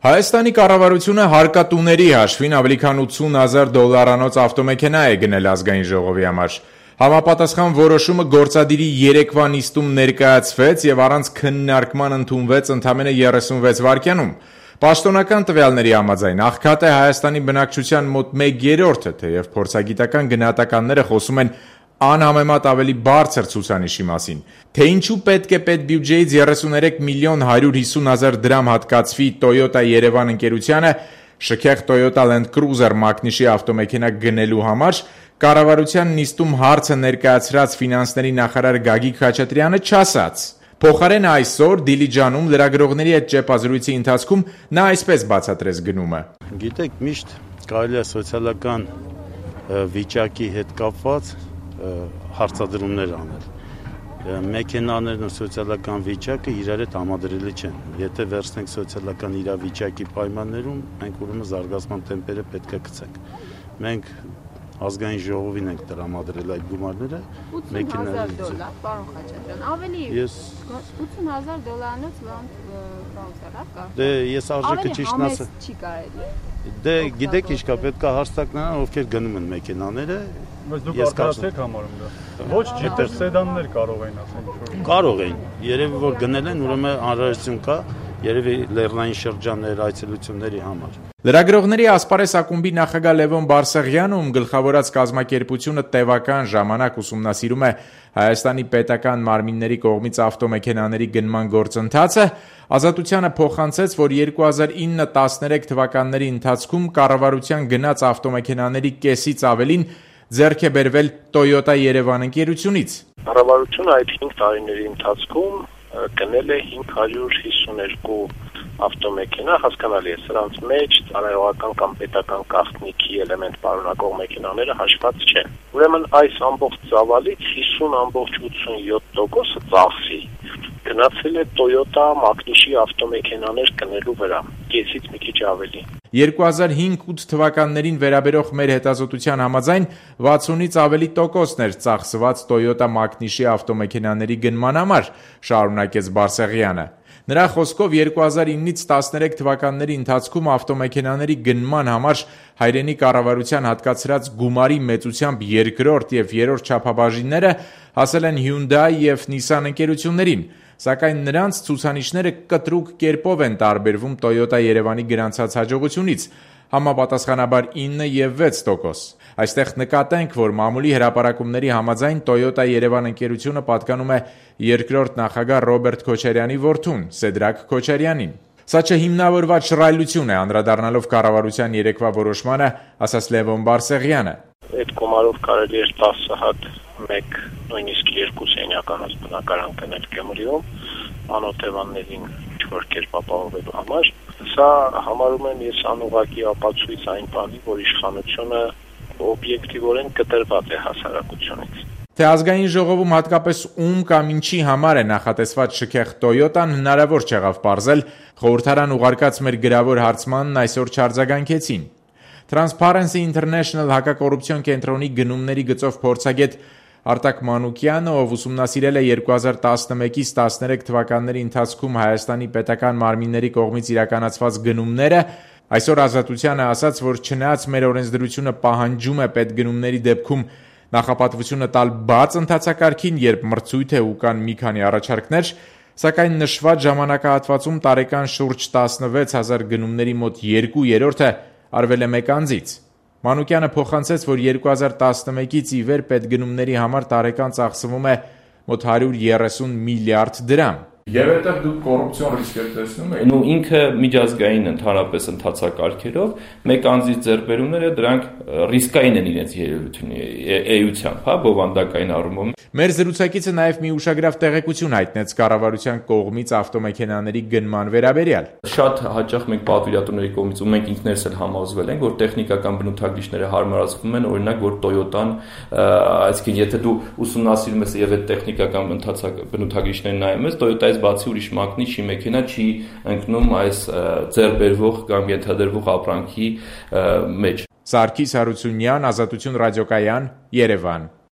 Հայաստանի կառավարությունը հարկատուների հաշվին ավելի քան $80,000 ավտոմեքենա է գնել ազգային ժողովի համար։ Համապատասխան որոշումը գործադիրի երեկվա նիստում ներկայացվեց եւ առանց քննարկման ընդունվեց ընդամենը 36 վայրկյանում։ Պաշտոնական տվյալների համաձայն աղքատ է Հայաստանի բնակչության մոտ 1/3-ը, թեև փորձագիտական գնահատականները խոսում են անհամեմատ ավելի բարձր ցուցանիշի մասին։ Թե ինչու պետք է պետբյուջեից 33,150,000 դրամ հատկացվի Toyota Երևան ընկերությանը շքեղ Toyota Land Cruiser մակնիշի ավտոմեքենա գնելու համար, կառավարության նիստում հարցը ներկայացրած ֆինանսների նախարար Գագիկ Խաչատրյանը չասաց։ Փոխարեն այսօր Դիլիջանում լրագրողների հետ ճեպազրույցի ընթացքում նա այսպես բացատրեց գնումը։ Գիտեք, միշտ կարելի է սոցիալական վիճակի հետ կապված հարցադրումներ անել։ Մեքենաներն ու սոցիալական վիճակը իրար հետ համադրելի չեն։ Եթե վերցնենք սոցիալական իրավիճակի պայմաններում, մենք ուրեմն զարգացման տեմպերը պետք է գցենք։ Մենք ազգային ժողովին ենք տրամադրել այդ գումարները, $80,000, պարոն Խաչատրյան, ավելի $80,000-անոց կա։ Դե ես արժեքը ճիշտն ասեմ։ Ավելի չի կարելի։ Դե գիտեք ինչ կա, պետք է հաստատանան, ովքեր գնում են մեքենաները։ Բայց դուք արտադրացեք համարում դա։ Ոչ ջիպեր, սեդաններ կարող են ասել։ Կարող են։ Երևի որ գնել են, ուրեմն անհրաժեշտություն կա, երևի լեռնային շրջաններ այցելությունների համար։ Լրագրողների ասպարեզ ակումբի նախագահ Լևոն Բարսեղյանը, ում գլխավորած կազմակերպությունը տևական ժամանակ ուսումնասիրում է Հայաստանի պետական մարմինների կողմից ավտոմեքենաների գնման գործընթացը, Ազատությանը փոխանցեց, որ 2009-13 թվականների ընթացքում կառավարության գնած ավտոմեքենաների կեսից ավելին ձեռք է բերվել Toyota Երևան ընկերությունից։ Կառավարությունը այդ 5 տարիների ընթացքում գնել է 552 ավտոմեքենա, հասկանալի է, սրանց մեջ ծառայողական կամ պետական գաղտնիքի էլեմենտ պարունակող մեքենաները հաշված չեն։ Ուրեմն այս ամբողջ ծավալից 50,87%-ը ծախսի գնացել է Toyota մակնիշի ավտոմեքենաներ գնելու վրա, կեսից մի քիչ ավելի։ 2005-8 թվականներին վերաբերող մեր հետազոտության համաձայն 60-ից ավելի տոկոսներ ծախսված Toyota մակնիշի ավտոմեքենաների գնման համար, շարունակեց Բարսեղյանը։ Նրա խոսքով 2009-ից 13 թվականների ընթացքում ավտոմեքենաների գնման համար հայրենի կառավարության հատկացրած գումարի մեծությամբ երկրորդ եւ երրորդ չափաբաժինները հասել են Hyundai եւ Nissan ընկերություններին, սակայն նրանց ցուցանիշները կտրուկ կերպով են տարբերվում Toyota Երևանի գրանցած հաջողությունից, համապատասխանաբար 9 եւ 6%։ Այստեղ նկատենք, որ մամուլի հրապարակումների համաձայն Toyota Երևան ընկերությունը պատկանում է երկրորդ նախագահ Ռոբերտ Քոչարյանի որդուն, Սեդրակ Քոչարյանին։ Սա չհիմնավորված շռայլություն է, անդրադառնալով կառավարության երեկվա որոշմանը, ասաց Լևոն Բարսեղյանը։ Այդ գումարով կարելի էր 10 հատ, 1, նույնիսկ 2 սենյականոց բնակարան գնել Գյումրիում, անօթևաններին ինչ-որ կերպ ապահովելու համար։ Սա համարում եմ ես անուղղակի ապացույց այն բանի, որ իշխանությունը օբյեկտիվորեն կտրված է հասարակությունից։ Թե ազգային ժողովում հատկապես ում կամ ինչի համար է նախատեսված շքեղ Toyota-ն հնարավոր չեղավ պարզել, խորհրդարան ուղարկած մեր գրավոր հարցմանն այսօր չարձագանքեցին։ Transparency International հակակոռուպցիոն կենտրոնի գնումների գծով փորձագետ Արտակ Մանուկյանը, ով ուսումնասիրել է 2011-ից 13 թվականների ընթացքում Հայաստանի պետական մարմինների կողմից իրականացված գնումները, այսօր Ազատությանը ասաց, որ չնայած մեր օրենսդրությունը պահանջում է պետգնումների դեպքում նախապատվությունը տալ բաց ընթացակարգին, երբ մրցույթ է ու կան մի քանի առաջարկներ, սակայն նշված ժամանակահատվածում տարեկան շուրջ 16,000 գնումների մոտ 2/3-ը արվել է մեկ անձից։ Մանուկյանը փոխանցեց, որ 2011-ից ի վեր պետգնումների համար տարեկան ծախսվում է մոտ 130 միլիարդ դրամ։ Եվ այդտեղ դուք կոռուպցիոն ռիսկ տեսնում եք։ Ու ինքը միջազգային ընդհանրապես ընթացակարգերով մեկ անձի ձեռքբերումները դրանք ռիսկային են իրենց էությամբ, հա, բովանդակային առումով։ Մեր զրուցակիցը նաև մի ուշագրավ տեղեկություն հայտնեց կառավարության կողմից ավտոմեքենաների գնման վերաբերյալ։ Շատ հաճախ մենք պատվիրատուների կողմից ու մենք ինքներս էլ համոզվել ենք, որ տեխնիկական բնութագրիչները հարմարացվում են, օրինակ, որ Toyota-ն, այսինքն եթե դու ուսումնասիրում ես եւ այդ տեխնիկական բնութագրիչները նայում ես, Toyota-ից բացի ուրիշ մակնիշի մեքենա չի ընկնում այս ձեռբերվող կամ ենթադրվող ապրանքի մեջ։ Սարգիս Հարությունյան, Ազատություն ռադիոկայան, Երևան։